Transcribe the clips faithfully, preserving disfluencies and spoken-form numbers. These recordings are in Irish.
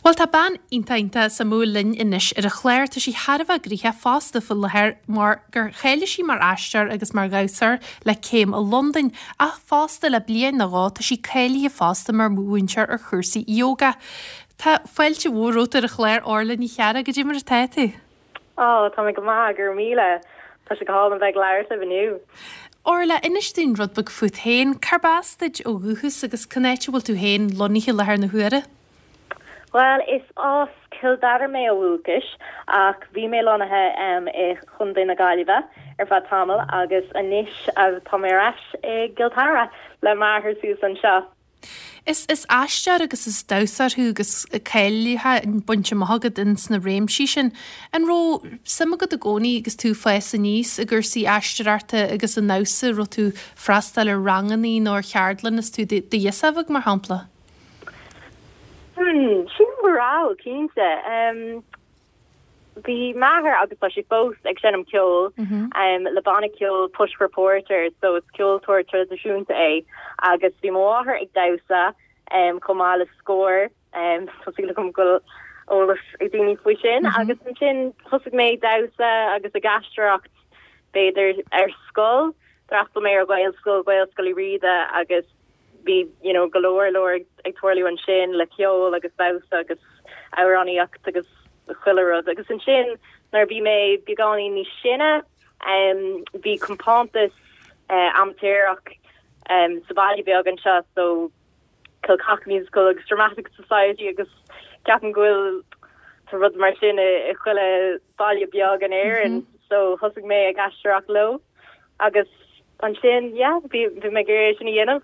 Bhuel tá bean iontach iontach suimiúil linn anois ar an chlár tá sí thar a bheith gnoitheach fosta faoi láthair mar gur cháiligh sí mar aisteoir agus mar dhamhsóir le céim i Londain ach fosta le bliain nó dhó tá sí cáilithe fosta mar mhúinteoir ar chúrsaí yoga. Tá fáilte mhór romhat ar an chlár Orla Ní Chearra goidé mar atá tú. Ó tá mé go maith gur míle Tá sé go hálainn bheith ag labhairt libh inniu. Orla inis dúinn rud beag fút féin, cárb as duit ó dhúchas agus cén áit a bhfuil tú féin lonnaithe i láthair na huaire? Well is as Cill Dara mé ó dhúchas ach bhí mé lonnaithe um, i Chontae na Gaillimhe ar feadh tamall agus anois tá mé ar ais i gCill Dara le m'athair suas anseo. Is is aisteoir agus is damhsóir thú agus cáilithe bainte amach agat in sna réimsí sin. An raibh suim agat i gcónaí agus tú ag fás aníos i gcúrsaí aisteoireachta agus an damhsa raibh tú ag freastal ar ranganna nó ar cheardlann is tú i do ghirseach bheag mar shampla? Hmm, sin go raibh cinnte. Um, Bhí m'athair agus tá sé fós ag seinm ceol mm -hmm. um, le banna ceoil Push for Porter, so is ceoltóir traidisiúnta é agus bhí m'athair ag damhsa um, chomh maith le Scór um, go bhfuil eolas ag daoine faoi sin mm -hmm. agus ansin thosaigh mé damhsa agus ag aisteoireacht b'fhéidir ar scoil d'fhreastail mé ar Ghaelscoil Gaelscoil Uí Riada agus bhí you know go leor leor ag tarlú ansin le ceol agus damhsa agus amhránaíocht agus chuile rud agus ansin nuair bhí mé beagáinín níos sine um, bhí compántas uh, amaitéarach um, sa bhaile beag anseo so Kilcock Musical agus Dramatic Society agus ceapaim go bhfuil tá rud mar sin i i chuile baile beag in Éirinn mm -hmm. so thosaigh mé ag aisteoireacht leo agus ansin yeah, bhí bhí mé ag sin a dhéanamh.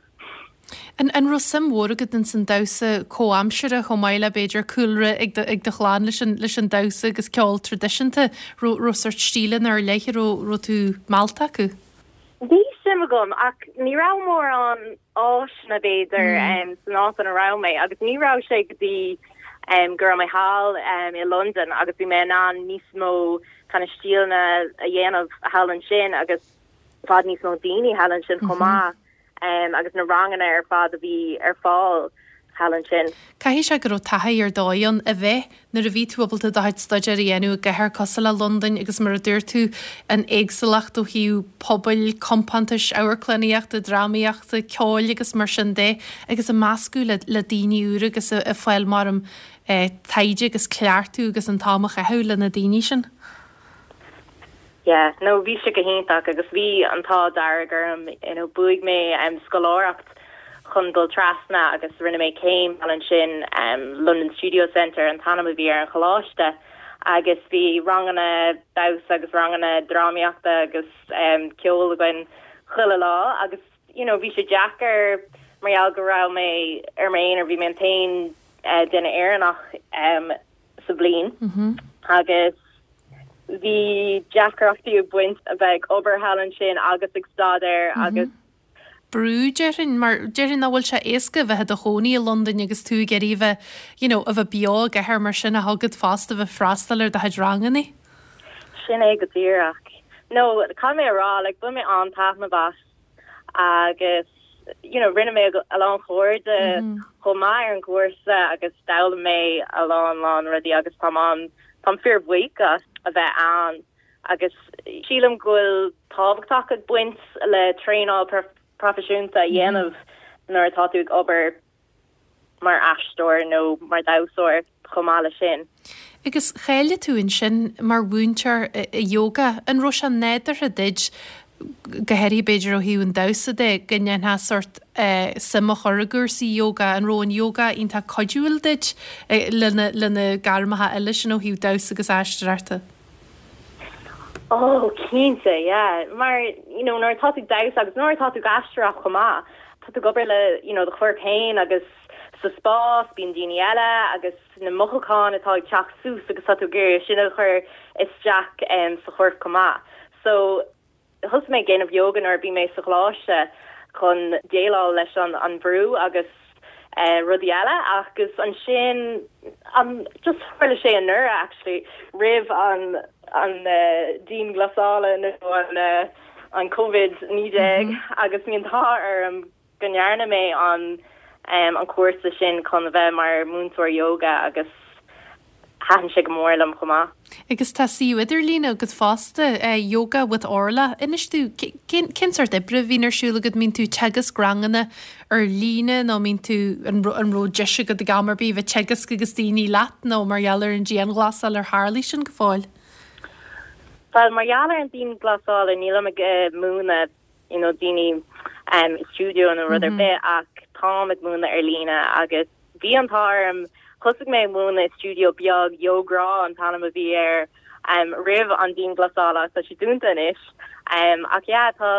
An an raibh suim mhór agat in san damhsa comhaimseartha chomh maith le b'fhéidir cúlra ag do, ag do chlann leis an leis an damhsa agus ceol traidisiúnta raibh sórt stíleanna ar leith raibh raibh tú meallta acu? Bhí suim agam ach ní raibh mórán áiseanna b'fhéidir mm. um, san áit a raibh mé agus ní raibh sé go dtí um, go raibh mé thall um, i London agus bhí mé an níos mó kind of stíleanna a dhéanamh thall ansin agus fad níos mó daoine thall ansin chomh mhm. maith. um, agus na ranganna ar fad a bhí ar fáil thall ansin. Caithfidh sé go raibh taithí ar dóigh ann a bheith nuair a bhí tú ábalta do chuid staidéir a dhéanamh i gcathair cosúil le Londain agus mar a dúirt tú an éagsúlacht ó thaobh pobail, compántais, amharclannaíochta, drámaíochta, ceoil agus mar sin de agus a meascadh le, le daoine úra agus a, a fáil mar am eh, taighde agus cleachtadh agus an t-am a chaitheamh le na daoine sin. Yeah, no bhí sé go hiontach agus bhí an t-ádh dearg orm you know, bhuaigh mé um, scoláireacht chun dul trasna agus rinne mé céim ansin um, London Studio Centre an t-ainm a bhí ar an choláiste agus bhí ranganna damhsa agus ranganna drámaíochta agus um, ceol againn chuile lá agus you know, bhí sé deacair mar gheall go raibh mé ar m'aonar bhí mé an t-aon uh, duine Éireannach um, sa bhliain mm -hmm. agus bhí deacrachtaí ag baint a bheith ag obair thall ansin agus ag staidéar mm -hmm. agus brú déarfainn mar déarfainn nach bhfuil sé éasca bheith i do chónaí i Londain agus tú ag iarraidh bheith you know, a bheith beo i gcathair mar sin a thugad fosta bheith freastal ar do chuid ranganna. Sin é go díreach. No caithfidh mé rá like, bhain mé an-taitneamh as agus you know, rinne mé a lán cairde mm -hmm. chomh maith ar an gcúrsa agus d'fhoghlaim mé a lán lán rudaí agus tá an Tá fíorbhuíoch a bheith ann agus sílim go bhfuil tábhachtach ag baint le traenáil proifisiúnta a dhéanamh nuair atá tú ag obair mar aisteoir nó mar dhamhsóir chomh maith le sin. Agus cháiligh tú ansin mar mhúinteoir i yoga an raibh sé nádúrtha duit go háirithe b'fhéidir ó thaobh an damhsa de go ndéanfá sórt eh, suim a chur i gcúrsaí yoga an raibh an yoga iontach cuidiúil duit eh, lena lena gairmeacha eile sin ó thaobh damhsa agus aisteoireachta. Oh cinnte yeah mar you know nuair atá tú damhsa agus nuair atá tú ag aisteoireacht chomh maith tá tú ag obair le you know do chorp féin agus sa spás bíonn daoine eile agus na mothúcháin atá ag teacht suas agus tá tú ag iarraidh sin a chur isteach um, sa chorp chomh maith. So thosaigh mé ag déanamh yoga nuair bhí mé sa choláiste chun déileáil leis an an brú agus uh, rudaí eile agus ansin um, just tharla sé anuraidh actually roimh an an uh, dianghlasáil nó an uh, an COVID naoi déag mm -hmm. agus bhí an t-ádh orm go ndearna mé an um, an cúrsa sin chun bheith mar múinteoir yoga agus thaitin sé go mór liom chomh maith. Agus tá suíomh idirlín agat fosta, Yoga with Orla. Inis domh, cén cén sórt oibre a bhíonn ar siúl agat? Mbíonn tú ag teagasc ranganna ar líne nó mbíonn tú, an an raibh deis agat ag am ar bith bheith ag teagasc agus daoine leat nó mar gheall ar an dianghlasáil ar tharlaigh sin go fóill? Bhuel, mar gheall ar an dianghlasáil nílim ag múineadh you know daoine i stiúideo nó rud ar bith ach táim ag múineadh ar líne agus bhí an t-ádh orm thosaigh mé ag múineadh i stiúideo beag Yogra an t-ainm a bhí air um roimh an dianghlasáil ach tá sé dúnta anois um ach yeah tá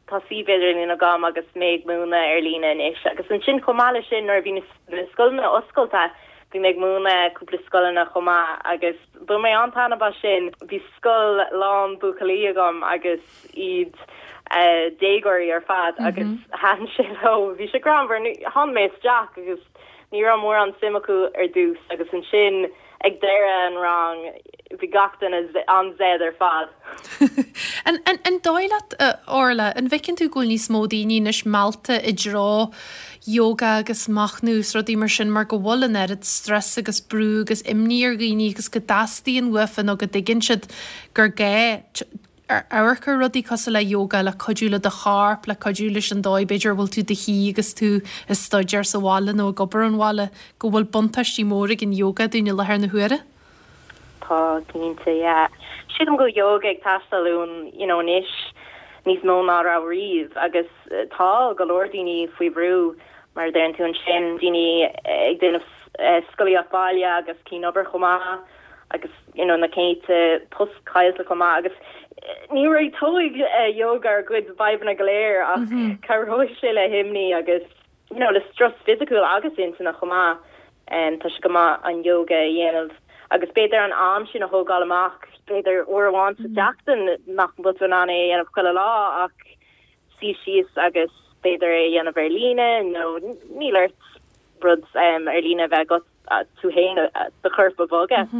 tá suíomh idirlín agam agus mé ag múineadh ar líne anois agus ansin chomh maith leis sin nuair a bhí na scoileanna oscailte bhí mé ag múineadh cúpla scoileanna chomh maith agus bhain mé an-taitneamh as sin bhí scoil lán buachaillí agam agus iad déagóirí ar fad agus thaitin sé leo bhí sé greannmhar tháinig mé isteach agus ní raibh mórán suim acu ar dtús agus ansin ag deireadh an rang bhí gach duine an-zen ar fad. An an an dóigh leat a Orla, an bhfeiceann tú go bhfuil níos mó daoine anois meallta i dtreo yoga agus machnamh is rudaí mar sin mar go bhfuil an oiread strus agus brú agus imní ar dhaoine agus go dteastaíonn uafa nó go dtuigeann siad gur gá amharc ar rudaí cosúil le yoga le cuidiú le do chorp, le cuidiú leis an dóigh b'fhéidir a bhfuil tú i do shuí agus tú ag staidéar sa bhaile nó ag obair ón bhaile, go bhfuil buntáistí mór ag an yoga dúinn i láthair na huaire? Tá, cinnte, yeah. Sílim go bhfuil yoga ag teastáil uainn, you know, anois níos mó ná raibh riamh agus tá go leor daoine faoi bhrú mar a deireann tú ansin, daoine ag déanamh scolaíocht baile agus cianobair chomh maith. agus you know na céadta post caillte chomh maith agus ní réiteoidh yoga ár gcuid fadhbanna go léir ach cabhróidh sé le himní agus you know le strus fisiciúil agus intinne chomh maith. Um, tá sé go maith an yoga a dhéanamh agus b'fhéidir an am sin a thógáil amach b'fhéidir uair amháin sa tseachtain nach bhfuil tú in ann é a dhéanamh chuile lá ach suí síos agus b'fhéidir é a dhéanamh ar líne nó níl ort rud um, ar líne a bheith agat tú féin do chorp a bhogadh.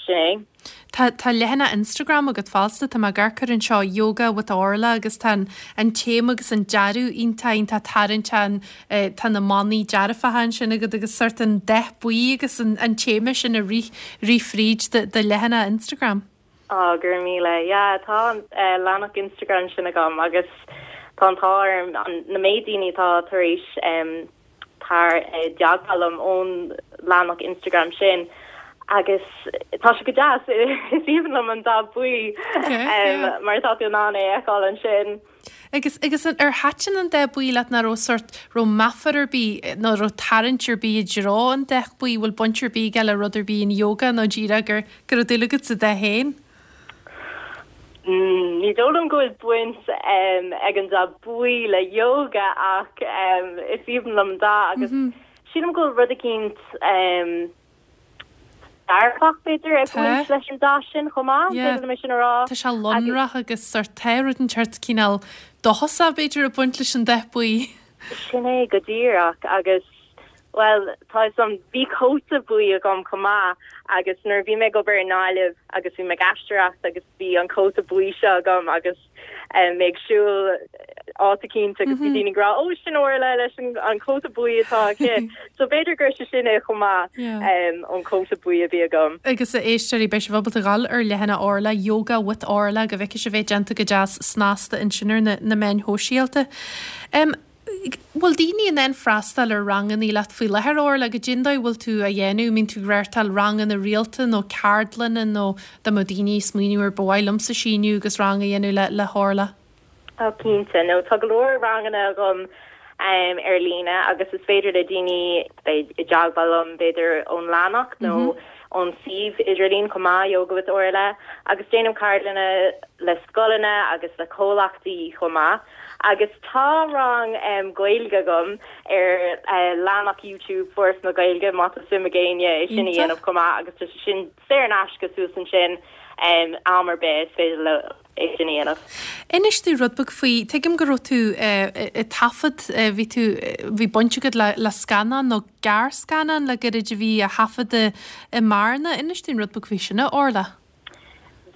Sin é. Tá tá leathanach Instagram agat fosta, tá mé ag amharc air anseo Yoga with Orla agus tá an an téama agus an dearadh iontach iontach tarraingteach an tá na manaí dearfacha ansin agat agus sort an dath buí agus an an téama sin ag rith rith fríd do do leathanach Instagram. Á, go raibh míle. Yeah, tá an leathanach Instagram sin agam agus tá an t-ádh orm na méid daoine atá tar éis tar i dteagmháil liom ón leathanach Instagram sin agus tá sé go deas is aoibhinn liom an dath buí mar tá tú in ann é a fheiceáil ansin. Agus agus ar thaitin an dath buí leat nó raibh sort raibh meafar ar bith nó raibh tarraingt ar bith i dtreo an dath buí bhfuil baint ar bith aige le rud ar bith in yoga nó díreach gur go raibh dúil agat sa dath féin? Ní dóigh liom go bhfuil baint ag an dath buí le yoga ach is aoibhinn liom an dath agus sílim go bhfuil rud eicínt dearfach b'fhéidir ag baint leis an dath sin chomh maith, féidir liom é sin a rá. Tá sé lonrach agus sort tá rud inteacht cineál dóchasach b'fhéidir ag baint leis an dath buí. Sin é go díreach agus Bhuel, tá fhios a'm, bhí cóta buí agam chomh maith agus nuair a bhí mé ag obair i nGaillimh agus bhí mé ag aisteoireacht agus bhí an cóta buí seo agam agus mé ag siúl áit eicínt agus bhí daoine ag rá, 'Ó, sin Orla leis an cóta buí atá aici. So b'fhéidir gur sé sin é chomh maith, an cóta buí a bhí agam. Agus a éisteoirí, beidh sibh ábalta dhul ar leathanach Orla, Yoga with Orla, go bhfeicfidh sibh é déanta go deas snasta ansin ar na meáin shóisialta. Bhfuil daoine in ann freastal ar ranganna leat faoi láthair, Orla? Goidé an dóigh a bhfuil tú á dhéanamh? An mbíonn tú ag reáchtáil ranganna rialta nó ceardlanna nó dá mbeadh daoine ag smaoineamh ar ba mhaith liomsa síniú agus rang a dhéanamh le le hOrla? Ó cinnte, nó tá go leor ranganna agam ar líne agus is féidir le daoine bheith i dteagmháil liom b'fhéidir ón leathanach nó ón suíomh idirlín chomh maith, Yoga with Orla, agus déanaim ceardlanna le scoileanna agus le comhlachtaí chomh maith. Agus tá rang Gaeilge agam ar leathanach YouTube Foras na Gaeilge má tá suim ag éinne é sin a dhéanamh chomh maith agus tá sé sin saor in aisce suas ansin am ar bith is féidir leo é sin a dhéanamh. Inis domh rud beag faoi, tuigim go raibh tú ag taifead, bhí tú, bhí baint agat le le scannán nó gearrscannán le gairid a bhí á thaifeadadh i mBearna. Inis dúinn rud beag faoi sin, a Orla.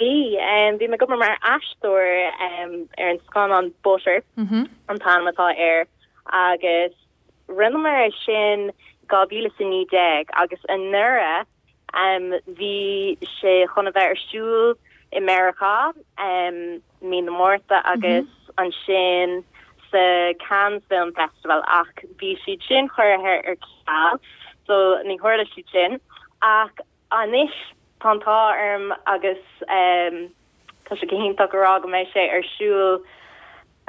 Bhí, bhí mé ag obair mar aisteoir ar an scannán Butter an t-ainm atá air agus rinneamar é sin dhá mhíle is a naoi déag agus anuraidh Um, bhí sé chun a bheith ar siúl i Meiriceá um, mí na Márta agus mm -hmm. ansin sa Cannes Film Festival ach bhí siad sin curtha ar ceal so ní tharla siad sin ach anois tá an t-ádh orm agus um, tá sé go hiontach go rá go mbeidh sé ar siúl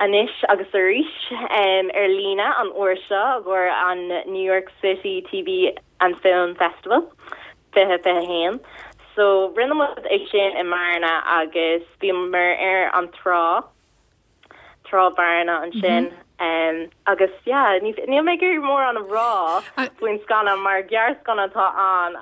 anois agus arís um, ar líne an uair seo gur an New York City TV and Film Festival fiche fiche haon. So rinne muid é sin i mBearna agus bhíomar ar an trá trá Bhearna ansin mm -hmm. um, agus yeah, níl mé gur mór an rá faoin scannán mar gearrscannán atá ann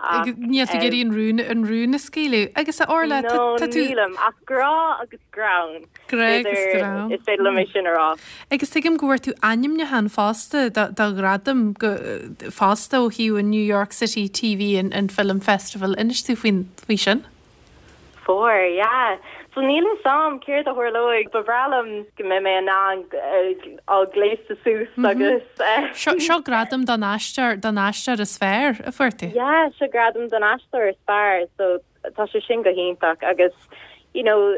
Níl tú ag iarraidh an rún an rún a scaoileadh agus a Orla Nílim ach grá agus greann Is féidir liom é sin a rá. Agus tuigim go bhfuair tú ainmniúchán fosta do ghradam fosta ó thaobh an New York City TV and, and Film Festival inis tú faoin faoi sin? Fuair, yeah. So níl a fhios agam céard a tharlóidh ba bhreá liom go mbeidh mé an á gléasadh suas mhm. agus eh, Seo gradam don aisteoir don aisteoir is fearr a fuair tú? Yeah, seo gradam don aisteoir is fearr, so tá sé sin go hiontach agus you know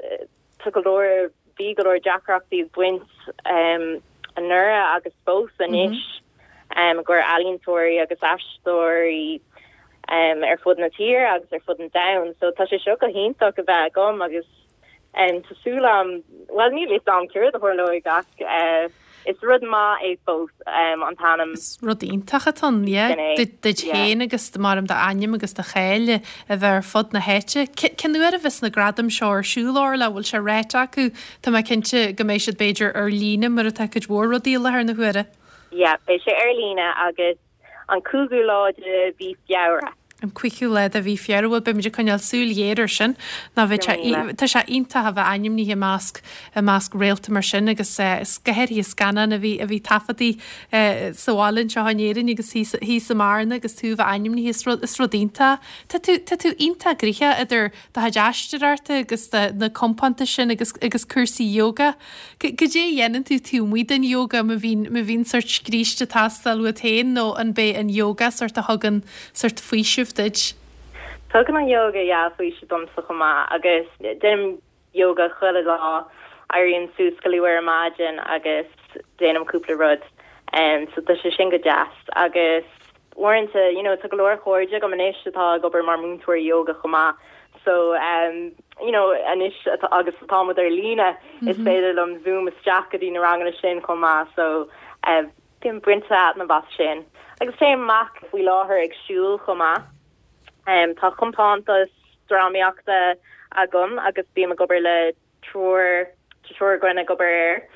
tá go leor bhí go leor deacrachtaí baint um, anuraidh agus fós anois mm -hmm. um, gur ealaíontóirí agus aisteoirí um, ar fud na tíre agus ar fud an domhain, so tá sé seo go hiontach a bheith agam agus um, tá súil agam well níl a fhios agam céard a tharlóidh ach uh, is rud maith é fós um, an t-ainm. Rud iontach atá duit féin agus mar do ainm agus do cháil a bheith ar fud na háite. Cén uair a bheas na gradaim seo ar siúl le bhfuil sé ráite acu Tá mé cinnte go mbeidh siad b'fhéidir ar líne mar atá cuid mhór rudaí láthair na huaire. Ja, beidh sé ar líne agus an cúigiú lá de mhí Feabhra. An cúigiú lá de mhí Feabhra bhfuil beimid ag coinneáil súil ghéar air sin ná bheith tá sé iontach a bheith ainmnithe i measc i measc réalta mar sin agus is go háirithe scannán a bhí a bhí taifeadta sa bhaile anseo in Éirinn agus thíos i mBearna agus tú bheith ainmnithe is rud is rud iontach. Tá tú tá tú iontach gnoitheach idir do chuid aisteoireachta agus na compántais sin agus agus cúrsaí yoga. Cad é a dhéanann tú taobh amuigh den yoga má bhíonn má bhíonn sórt scríste ag teastáil uait féin nó an b'é an yoga sórt a thugann sórt faoiseamh duit? Tugann an yoga yeah faoiseamh domsa chomh maith agus déanaim yoga chuile lá éirím suas go luath ar maidin agus déanaim cúpla rud um, so tá sé sin go deas agus uaireanta you know, tá go leor cairde agam anois atá ag obair mar múinteoir yoga chomh maith so um, you know, anois agus táimid ar líne mm -hmm. is féidir liom zoom isteach go dtí na ranganna sin chomh maith so uh, bím ag baint taitneamh as sin. Agus téim amach faoi láthair ag siúl chomh maith. Um, tá compántas drámaíochta agam agus bím ag obair le triúr triúr againn ag obair air.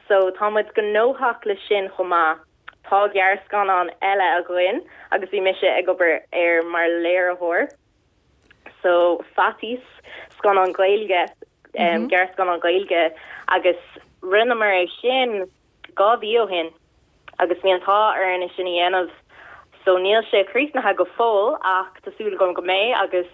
So táimid gnóthach le sin chomh maith. Tá gearrscannán eile againn agus bhí mise ag obair air mar léiritheoir. So Faitíos scannán Gaeilge um, mm -hmm. gearrscannán Gaeilge agus rinneamar é sin dhá mhí ó shin agus bhí an t-ádh orainn é sin a dhéanamh so níl sé críochnaithe go fóill ach tá súil agam go mbeidh agus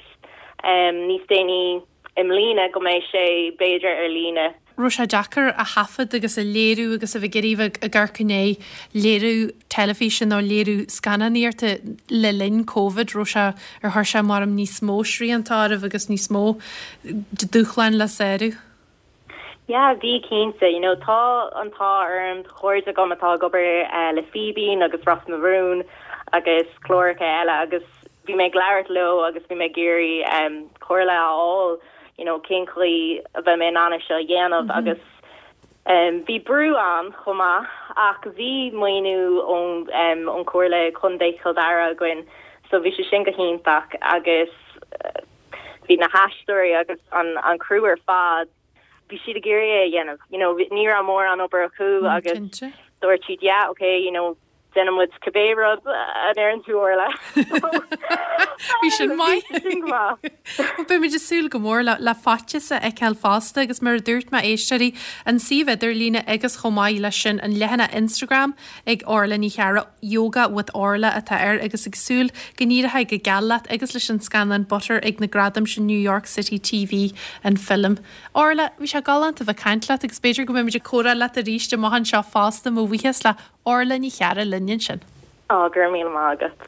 um, níos déanaí i mbliana go mbeidh sé b'fhéidir ar líne. Raibh sé deacair a thaifead agus a léiriú agus a bheith ag iarraidh ag amharc i ndiaidh léiriú teilifíse nó léiriú scannánaíochta le linn Covid raibh sé ar chuir sé mar níos mó srianta oraibh agus níos mó dúshláin le sárú. Yeah, bhí cinnte, you know, tá an t-ádh orm cairde agam atá ag obair uh, le Fíbín agus Ros na Rún agus cláracha eile agus bhí mé ag labhairt leo agus bhí mé ag iarraidh um, comhairle a fháil you know, cén chaoi a bheith mé in ann seo a dhéanamh mm -hmm. agus um, bhí brú ann chomh maith ach bhí maoiniú ón um, ón Chomhairle Contae Chill Dara againn so bhí sé sin go hiontach agus uh, bhí na haisteoirí agus an, an crew ar fad bhí siad ag iarraidh é a dhéanamh you know ní raibh mórán obair acu mm, agus dúirt siad yeah okay you know déanfaidh muid cibé rud a deireann tú le. Bhí sin maith. Beimid ag súil go mór le le Faitíos a fheiceáil fosta agus mar a dúirt mé éisteoirí an suíomh idirlíne agus chomh maith leis sin an leathanach Instagram ag Orla Ní Chearra Yoga with Orla atá air agus ag súil go n-éireoidh go geal leat agus leis an scannán Butter ag na gradaim sin New York City TV and Film. Orla bhí sé galánta bheith ag caint leat agus b'fhéidir go mbeimid ag comhrá leat arís amach anseo fosta mo bhuíochas le Orla Ní Chearra linn ansin. Á gur mí mágad.